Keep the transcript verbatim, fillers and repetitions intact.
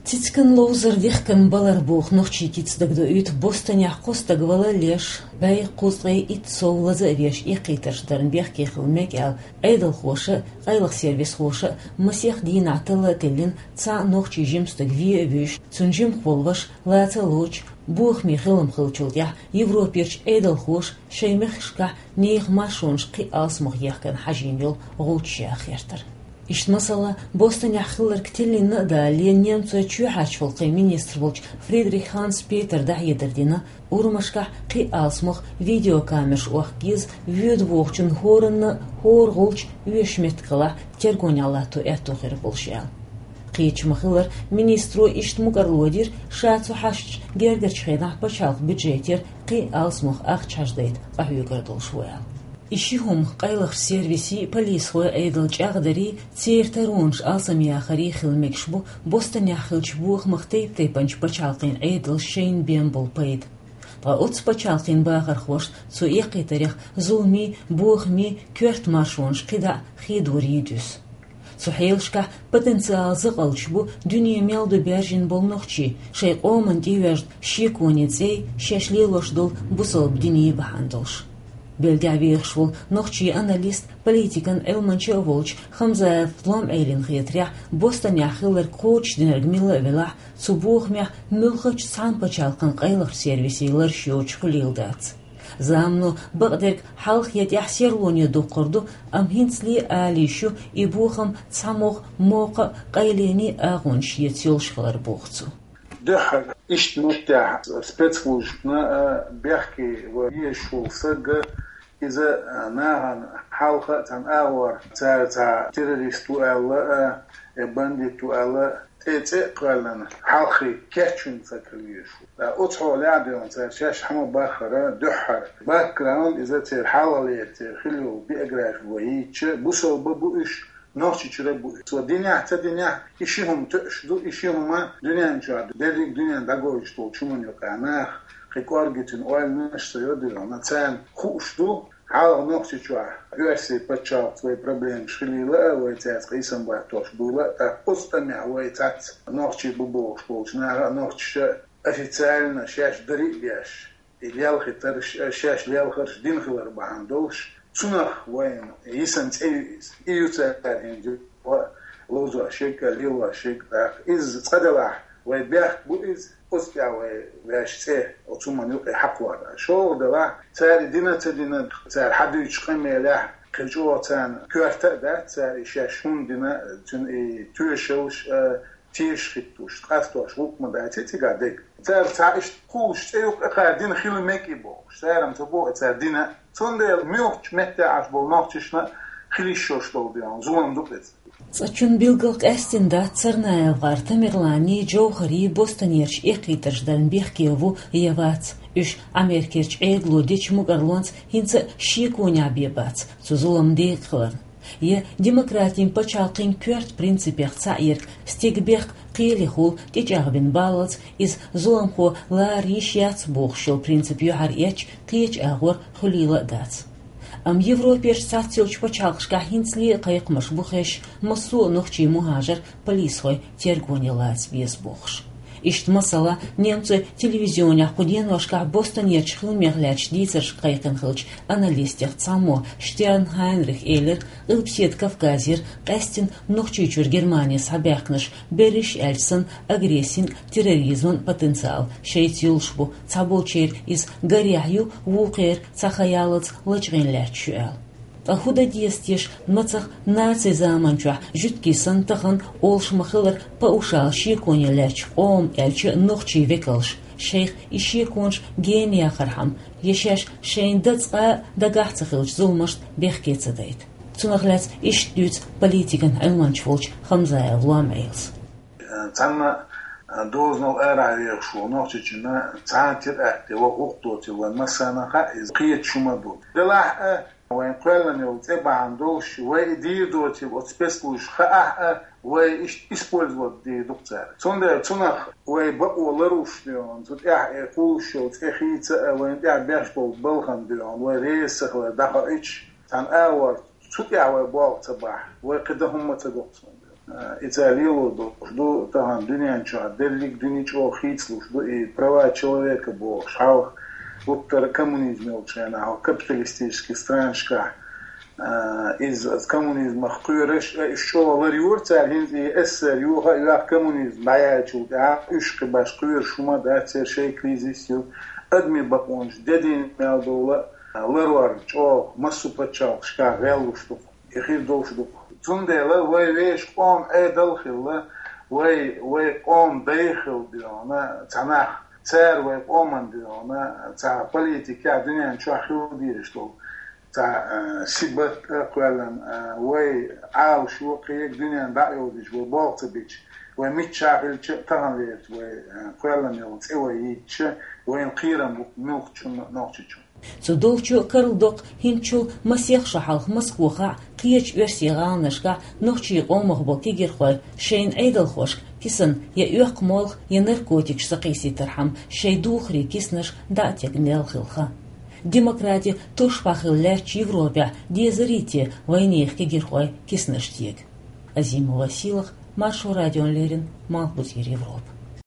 Цицкан ловзар дихкан балар боху нохчий кица дагадоуьйту Бостонехь кхо стаг вала леш, бӀе кхузткъе итт сов лаза а веш эккхийтарш дарна бехке хила мега аьлла, Ӏедалхоша а, къайлаха сервисхоша а масех дийнахь талла а теллина, цхьа а нохчий жима стаг ве а вуьйш, цуьнан жимах волу ваша лаца а лоцуш, бохаме хилам хиллачул тӀаьхьа Европерчу Ӏедалхоша шайн мехкашкахь нехан маршонаш кхин а алсамох ехкарна хьажийна йолу гӀулчаш яха гӀертара. Иштта масала, Бостонехь хилларг тиллина а далале, немцойн чоьхьарчу гӀуллакхийн министр волчу Фридрих Ханс Петера дӀахьедар дина, урамашкахь кхин а алсамох видеокамераш охка еза, воьду бохучун хӀоранна а хӀора гӀулч оьшуш меттиг хилахь, тергонехь латто аьтто хир болуш аьлла. Кхеча ма-хиллара, министро иштта мукӀарло дира, ша цу хьашташ гергарчу хенахь пачхьалкхан бюджетера кхин а алсамох ахча хьажадайта къахьоьгур долуш ву аьлла. И ши хӀума къайлахчу сервисийн, полисхойн Ӏедал чӀагӀдарий, церан таронаш алсамъяхарий хила мегаш бу Бостонехь хиллачу бохамах тайп-тайпанчу пачхьалкхийн Ӏедалша шайна бен болу пайда. Ткъа оцу пачхьалкхийн бахархошна цу эккхийтарех зуламийн, бохамийн коьрта маршонаш кхидӀа а хедорий дуьсу. Цу хьелашкахь потенциала закъалчаш бу дуьне мел ду баьржина болу нохчий, шайн къоманна тӀеоьжна шеконийн цӀей, шаьш лелош долу бусалба диний бахьана долуш. Бельгехь вехаш волу нохчийн аналист, политикан Ӏилманча а волчу Хамзаев Лом-Ӏелина хетарехь, Бостонехь хилларг кхочушдинарг милла а велахь, цу бохамехь муьлххачу цхьана пачхьалкхан къайлахчу сервисийн лараш йоцуш хуьлийла дац. Замано бакъдерг хьалха я тӀаьхьа серлоне доккхур ду, амма хӀинцале а ала йиш ю и бохам цхьамогӀа мокха а, къайленийн а агӀонаш эца йолуш хилар, боху цо. Дуьххьара иштта меттехь спецслужбана а бехке ван езаш волу саг а, иза а нахана хьалха а цхьана агӀор цара цхьа террорист ву аьлла а, я бандит ву аьлла а, тӀе цӀе а кхоьллина, хьалххе кечвина саг хила везаш ву. Ткъа оцу хьолехь а дуьйна цара шаьш хьан ма-баххара дуьххьара бэкграунд, иза церан хьалхалера церан хилла йолу биографи вай йийцча, бусалба бу уьш, Нохчийчуьра бу уьш. Цо динехь а, ца динехь а, и ши хӀума тоьуш ду, и ши хӀума дуьнен чохь ду. Дерриг дуьнен дӀагойтуш долчу хӀуманна юкъахь нах кхин кӀорггитина ойланаш а ца йо дуьйна, царна хууш ду, хьалха Нохчийчохь Оьрсийн пачхьалкхца вай проблемаш хилийла а, вай цаьрца къийсам баттош буйла а, тӀаккха оцу тӀамехь вай цхьацца нохчий бу бохуш болчу наха а, нохчаша а официально шаьш дари а беш, и лелхийтарш а, шаьш лелхарш дина хилар бахьана долуш, цунах вайна йисина цӀе ю иза. И ю цара хӀинца ловзош ерг а, лелош ерг а. ТӀаккха иза цкъа делахь, вай бехк бу иза, оцу тӀехь вай ваьш цӀе оцу хӀуманна юкъе хьакхор. ШолгӀа делахь, цара и дина а, ца дина а, цара хьадуьйцучу къамелехь кхин чӀогӀа царна коьрта а дац, цара и шаьш хӀунда дина, цуьнан и тоьшаллаш а, теша хӀиттош, къастош гӀуллакх ма дац и цигахь дерг. Цара цхьа иштта кхуллуш цӀе юкъа кхара дина хила мега и бохуш, цара-м ца боху и цара дина. Цундела муьлххачу метте Ӏаш болу нохчашна хила йиш йолуш долу дела зулам ду-кх иза. Цкъачунна билггал къаьстина дац, ЦарнаевгӀар Тамерланан, Джовхаран Бостонерчу эккхийтарш дарна бехке ву я вац. Уьш Америкерчу Ӏедало дечу мукӀарлонца хӀинца а шеконехь бен бац цу зуламан декъа хиларна. Я демократин пачхьалкхийн коьрта принципех цхьаъ ерг, стеган бехк кхелехула тӀечӀагӀбина баллалц, иза зуламхо лара йиш яц бохуш йолу принцип юьхьар эцча, кхечу агӀор хуьлийла а дац. Амма Европерчу цхьацца йолчу пачхьалкхашкахь хӀинцале а кхайкхамаш бу хезаш, массо а нохчийн мухӀажар полисхойн тергоне лаца веза бохуш. Иштта масала, немцойн телевизионехь кху деношкахь Бостонерчу хиламех лаьттачу дийцаршка кхайкхина хиллачу аналистех цхьаммо Штерн Хайнрих элира, Къилбаседа Кавказера, къаьсттина Нохчийчуьра Германе схьабаьхкинарш, берриш аьлча санна, агрессин а, терроризман а потенциал шайца йолуш бу, цхьаболчеран иза гарехь ю, вукхеран цхьа хан яллалц лачкъийна лаьтташ ю аьлла. Ткъа хӀун дан деза теша, мацах нацийн заманчохь, жуьгтий санна, тахана, олуш ма-хиллара, паушал шеконе лаьттачу къоман, аьлча а нохчийн векалша, шайх и шеконаш гена яхархьама, я шаьш шайна дан цкъа а дагахь ца хиллачу зуламашна бехке ца дайта? Цунах лаьцна иштта дуьйцу политикан Ӏилманча волчу Хамзаев Лом-Ӏелас. Цхьана дозанал арахь вехаш волу Нохчийчунна цхьана теракт я ваха гӀуллакх доцийла вайн массарна а хаьа, иза кхеташ хӀума ду. Делахь а, вайн кхоьллина йолу цӀе бахьана долуш, вай и дийр доцийла оцу спецслужбашка хаахь а, вай иштта использовать дийр ду-кх цара. Цундела цунах вай бакъо ларъеш дуьйна, цу тӀехь и кхуллуш йолу цӀе хийца а, вайна тӀехь беш болу балхана дуьйна, вай реза ца хилар дӀахоуьйтуш, цхьана агӀор цу тӀехь вай болх ца бахь, вай кхин дан хӀумма ца го-кх цундела. Э, и цара лело долуш ду, тахана дуьнен чохь дерриг а дуьне чӀогӀа хийцалуш ду, и права человека бохуш, хьалха гуттара а коммунизм йолчу хенахь, капиталистический странашкахь, э, иза, иза коммунизмах кхоьруш, э, уьш чӀогӀа ларйора цара, хӀинца и эс эс эс эр юха а йоьхна коммунизм дӀаяьллачул тӀаьхьа, уьш кхин баш кхоьруш хӀума дац, церан шайн кризис ю, адамийн бакъонаш де дийна мел долу а, ларор чӀогӀа массо а пачхьалкхашкахь гӀеллуш ду-кх. И хир долуш ду-кх. Цундела вай вешан къоман Ӏедал а хилла, вай, вай къоман дай а хилла дуьйна, цхьа нах, цара вай къоман дуьйна, цхьа политикехь дуьнен чохь хила дезаш долу цхьа, а, сибат а кхоьллина, а, вай Ӏалашо а кхин а дуьненна дӀа а йовзуьйтуш, вай болх ца бича, вай миччахь хилча а тахана вехачу вай, а, кхоьллина йолу цӀе вай йийцича, вайна кхерам бу муьлххачунна а, Нохчийчунна. Цу долчо а карладоккху хӀинцачул масех шо хьалха Москвахь а, кхечу оьрсийн гӀаланашкахь а нохчийн къомах болу кегийрхой шайна Ӏедалхошка кисана я оьккху молха, я наркотикаш сакхийсийтархьама шайн духарийн киснаш дӀа а тегна мел хилла хан. Демократи тушбан хилла лаьттачу Европехь дезарий те вайнехан кегийрхой киснаш тега? Азимова Сийлаха, Маршо радиона леррина, Малхбузера Европа.